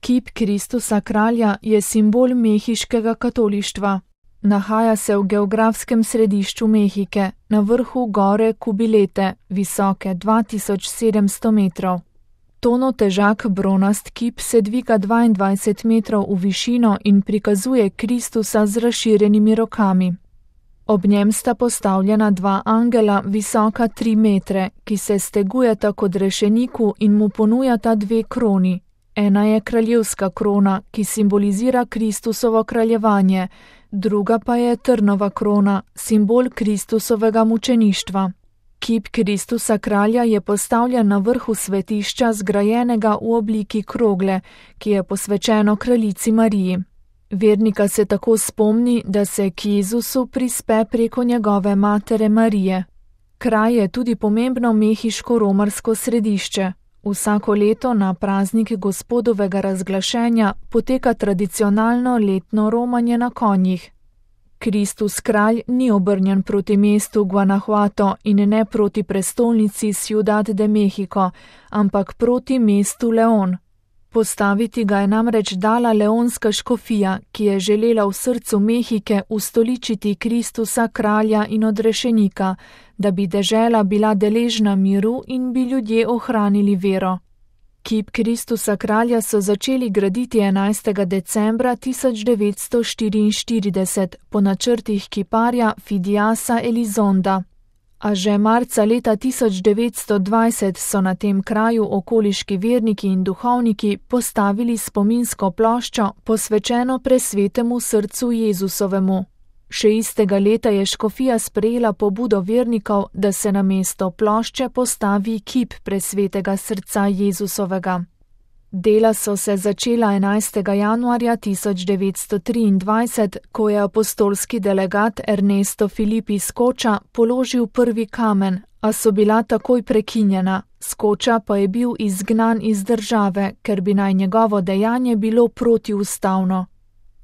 Kip Kristusa kralja je simbol mehiškega katolištva. Nahaja se v geografskem središču Mehike, na vrhu gore Kubilete, visoke 2700 metrov. Tono težak bronast kip se dviga 22 metrov v višino in prikazuje Kristusa z razširjenimi rokami. Ob njem sta postavljena dva angela, visoka 3 metre, ki se stegujeta kot rešeniku in mu ponujata dve kroni. Ena je kraljevska krona, ki simbolizira Kristusovo kraljevanje, druga pa je trnova krona, simbol Kristusovega mučeništva. Kip Kristusa kralja je postavljen na vrhu svetišča, zgrajenega v obliki krogle, ki je posvečeno kraljici Mariji. Vernika se tako spomni, da se k Jezusu prispe preko njegove matere Marije. Kraj je tudi pomembno mehiško-romarsko središče. Vsako leto na praznik Gospodovega razglašenja poteka tradicionalno letno romanje na konjih. Kristus kralj ni obrnjen proti mestu Guanajuato in ne proti prestolnici Ciudad de México, ampak proti mestu León. Postaviti ga je namreč dala leonska škofija, ki je želela v srcu Mehike ustoličiti Kristusa kralja in odrešenika, da bi dežela bila deležna miru in bi ljudje ohranili vero. Kip Kristusa kralja so začeli graditi 11. decembra 1944 po načrtih kiparja Fidiasa Elizonda. A že marca leta 1920 so na tem kraju okoliški verniki in duhovniki postavili spominsko ploščo, posvečeno presvetemu srcu Jezusovemu. Še istega leta je škofija sprejela pobudo vernikov, da se na mesto plošče postavi kip presvetega srca Jezusovega. Dela so se začela 11. januarja 1923, ko je apostolski delegat Ernesto Filipi Skoča položil prvi kamen, a so bila takoj prekinjena. Skoča pa je bil izgnan iz države, ker bi naj njegovo dejanje bilo protiustavno.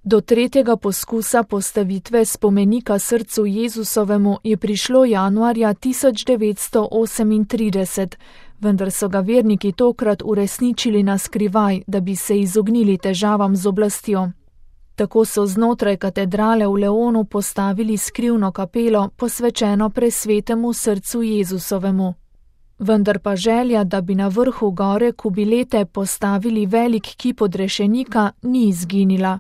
Do tretjega poskusa postavitve spomenika srcu Jezusovemu je prišlo januarja 1938, vendar so ga verniki tokrat uresničili na skrivaj, da bi se izognili težavam z oblastjo. Tako so znotraj katedrale v Leonu postavili skrivno kapelo, posvečeno presvetemu srcu Jezusovemu. Vendar pa želja, da bi na vrhu gore Kubilete postavili velik kip odrešenika, ni izginila.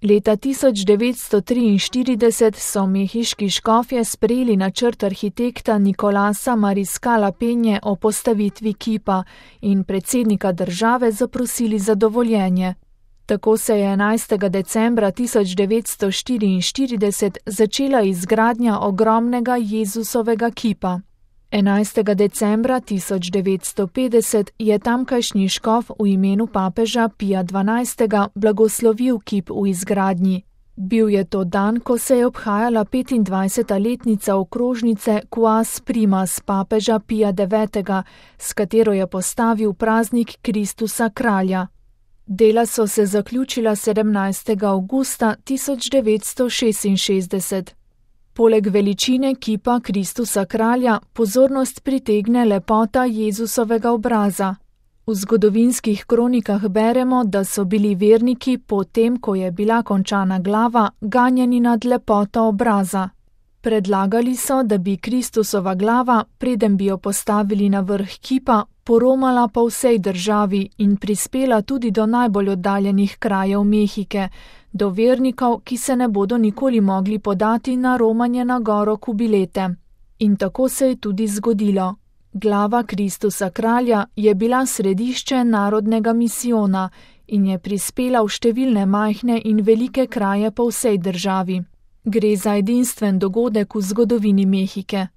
Leta 1943 so mehiški škofje sprejeli načrt arhitekta Nicolasa Mariscala Penje o postavitvi kipa in predsednika države zaprosili za dovoljenje. Tako se je 11. decembra 1944 začela izgradnja ogromnega Jezusovega kipa. 11. decembra 1950 je tamkajšnji škof v imenu papeža Pija XII. Blagoslovil kip v izgradnji. Bil je to dan, ko se je obhajala 25. letnica okrožnice Quas Primas papeža Pija IX., s katero je postavil praznik Kristusa kralja. Dela so se zaključila 17. avgusta 1966. Poleg veličine kipa Kristusa kralja pozornost pritegne lepota Jezusovega obraza. V zgodovinskih kronikah beremo, da so bili verniki potem, ko je bila končana glava, ganjeni nad lepoto obraza. Predlagali so, da bi Kristusova glava, preden bi jo postavili na vrh kipa, poromala po vsej državi in prispela tudi do najbolj oddaljenih krajev Mehike, do vernikov, ki se ne bodo nikoli mogli podati na romanje na goro Kubilete. In tako se je tudi zgodilo. Glava Kristusa kralja je bila središče narodnega misijona in je prispela v številne majhne in velike kraje po vsej državi. Gre za edinstven dogodek v zgodovini Mehike.